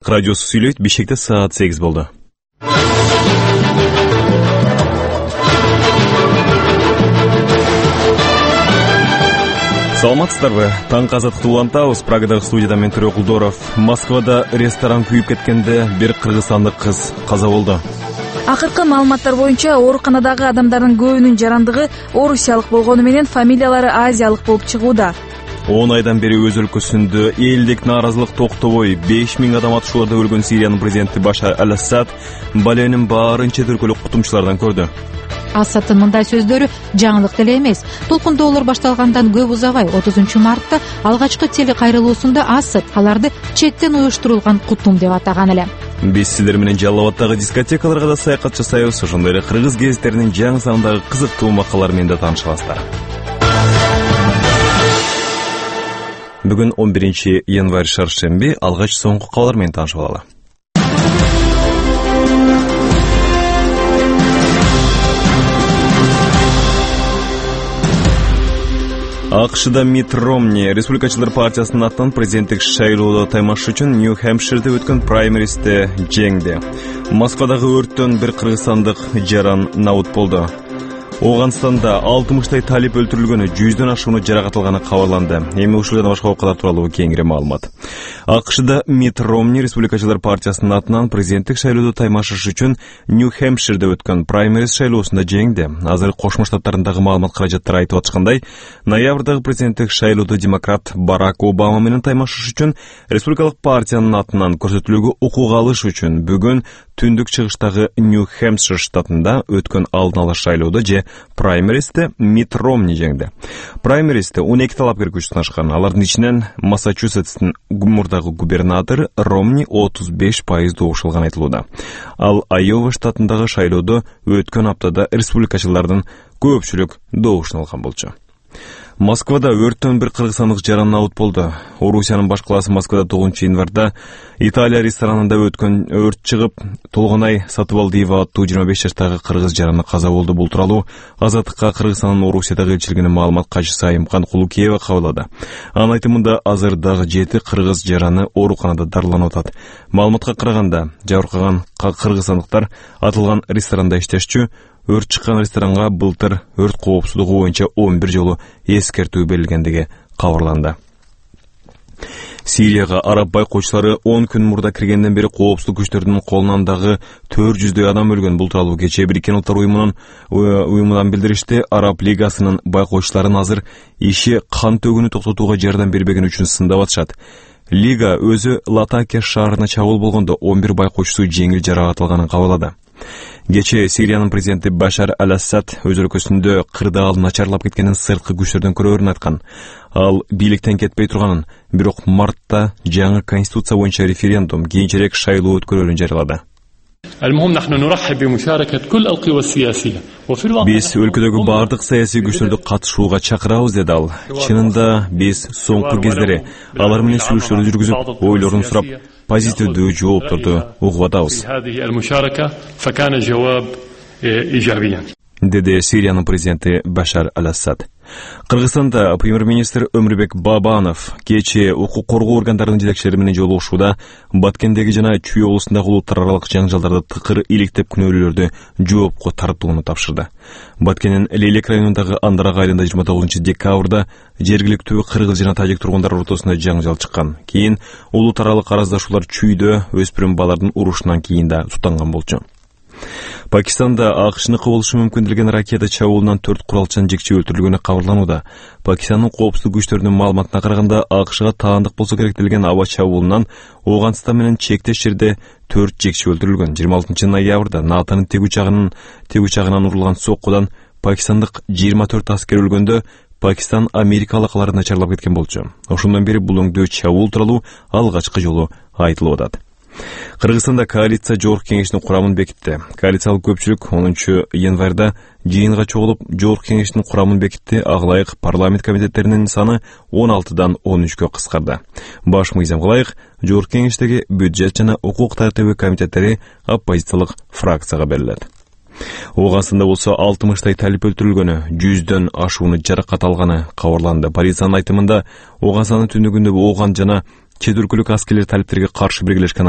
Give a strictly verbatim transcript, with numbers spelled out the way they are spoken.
Радиосу сүйлөйт, Бишкекте саат сегиз болду. Саламатсыздарбы? Таң азаттыкты улантабыз. Прагадагы студияда мен Төрө Кулдоров. Москвада ресторан күйүп кеткенде бир кыргызстандык кыз каза болду. Акыркы маалыматтар боюнча ооруканадагы адамдардын көбүнүн жарандыгы орусиялык болгону менен фамилиялары азиялык болуп чыгууда. он айдан бери өз өлкөсүндө элдик нааразылык токтобой беш миң адам атышууларда өлгөн Сириянын президенти Башар аль-Асад баленин баарынча түркөлүк кутумчулардан көрдү. Асадтын мындай сөздөрү жаңылык деле эмес. Толкундоолор башталгандан көп узабай отузунчу мартта алгачкы телекайрылуусунда Асад аларды четтен уюштурулган кутум деп атаган эле. Биз сиздер менен Жалал Абаддагы дискотекаларга да саякат жасайбыз. Ошондой эле кыргыз гезиттеринин жаңы санындагы кызыктуу макалалары менен да тааныша аласыздар. Бүгүн он биринчи январь шаршемби, алгач соңку кабарлар менен таанышып алалы. АКШда Митт Ромни Республикачылар партиясынын атынан президенттик шайлоодо таймаш үчүн Нью-Хэмпширде өткөн праймеристе жеңди. Москвадагы өрттөн бир кыргызстандык жаран набут болду. Ооганстанда алтымыштай талип өлтүрүлгөнү, жүздөн ашууну жаракат алганы кабарланды. Эми ушул жана башка окуялар тууралуу кеңири маалымат. АКШда Митт Ромни Республикачылар партиясынын атынан президенттик шайлоодо таймашыш үчүн Нью-Хэмпширде өткөн праймериз шайлоосунда жеңди. Азыр Кошмо Штаттарындагы маалымат каражаттары айтып аткандай, ноябрдагы президенттик шайлоодо демократ Барак Обама менен таймашыш үчүн республикалык партиянын атынан көрсөтүүлүгү укук алыш үчүн бүгүн түндүк чыгыштагы Нью-Хэмпшир штатында өткөн алдын ала шайлоодо же праймеристе Митт Ромни жеңди. Праймеристе он эки талапкер күч сынашкан. Алардын ичинен Массачусетстин мурдагы губернатору Ромни отуз беш пайыз добуш алганы айтылууда. Ал Айова штатындагы шайлоодо өткөн аптада республикачылардын көпчүлүк добушун алган болчу. Москвада өрттөн бир кыргызстандык жаран набут болду. Орусиянын баш калаасы Москвада тогузунчу январда Италия ресторанында өткөн өрт чыгып, Толгонай Сатыбалдиева аттуу жыйырма беш жаштагы кыргыз жараны каза болду. Бул тууралуу Азаттыкка Кыргызстандын Орусиядагы элчилигинин маалымат катчысы Айымкан Кулукеева кабарлады. Анын айтымында азыр дагы жети кыргыз жараны ооруканада дарыланып атат. Маалыматка караганда, жабыркаган кыргызстандыктар атылган ресторанда иштешчү. Өрт чыккан ресторанга былтыр өрт коопсуздугу боюнча он бир жолу эскертүү берилгендиги кабарланды. Сирияга араб байкоочулары он күн мурда киргенден бери коопсуздук күчтөрүнүн колунан дагы төрт жүздөй адам өлгөн. Бул тууралуу кечээ Бириккен Улуттар уюмунун уюмунан билдиришти. Араб лигасынын байкоочуларын азыр иши кан төгүүнү токтотууга жардам бербегени үчүн сындап атышат. Лига өзү Латакия шаарына чабуул болгондо он бир байкоочусу жеңил жаракат алганын кабарлады. Кечээ Сириянын президенти Башар аль-Асад өз өлкөсүндө кырдаал начарлап кеткенин сырткы күчтөрдөн көрөөрүн айткан. Ал бийликтен кетпей турганын, бирок мартта жаңы конституция боюнча референдум, кийинчерээк шайлоо өткөрөөрүн жарыялады. Биз өлкөдөгү бардык саясий күчтөрдү катышууга чакырабыз, деди ал. Чынында биз соңку кездери алар менен сүйлөшүүлөр жүргүзүп, ойлорун сурап, позитивдүү жоопторду угуп атабыз, деди Сириянын президенти Башар аль-Асад. Кыргызстанда премьер-министр Өмүрбек Бабанов кечээ укук коргоо органдарынын жетекчилери менен жолугушууда Баткендеги жана Чүй облусундагы улуттар аралык жаңжалдарды тыкыр иликтеп күнөөлүүлөрдү жоопко тартууну тапшырды. Баткендин Лейлек районундагы Андарак айылында жыйырма тогузунчу декабрда жергиликтүү кыргыз жана тажик тургундар ортосунда жаңжал чыккан. Кийин улуттар аралык араздашуулар Чүйдө өспүрүм балардын урушунан кийин да тутанган болчу. Пакистанда АКШныкы болушу мүмкүн делген ракета чабуулунан төрт куралчынын жекче өлтүрүлгөнү кабарланууда. Пакистандын коопсуздук күчтөрүнүн маалыматына караганда, АКШга таандык болсо керек делген аба чабуулунан Ооганстан менен чектеш жерде төрт жекче өлтүрүлгөн. жыйырма алтынчы ноябрда НАТОнун тиг учагынын тиг учагынан урулган соккудан пакистандык жыйырма төрт аскер өлгөндө, Пакистан Америка алакалары начарлап кеткен болчу. Ошондон бери бул өңдөө чабуул тууралуу алгачкы жолу айтылып атат. Кыргызстанда коалиция жогорку кеңешинин курамын бекитти. Коалициялык көпчүлүк онунчу январда жыйынга чогулуп, жогорку кеңешинин курамын бекитти. Ага парламент комитеттеринин саны он алтыдан он үчкө кыскарды. Баш мыйзам кылайык, жогорку кеңештеги бюджет жана укук тартиби комитеттери оппозициялык фракцияга берилет. Ооганстанда болсо алтымыштай талип өлтүрүлгөнү, жүздөн ашууну жаракат алганы кабарланды. Полициянын айтымында Ооганстандын түндүгүндө Ооган жана чет өлкөлүк аскерлер талиптерге каршы биргелешкен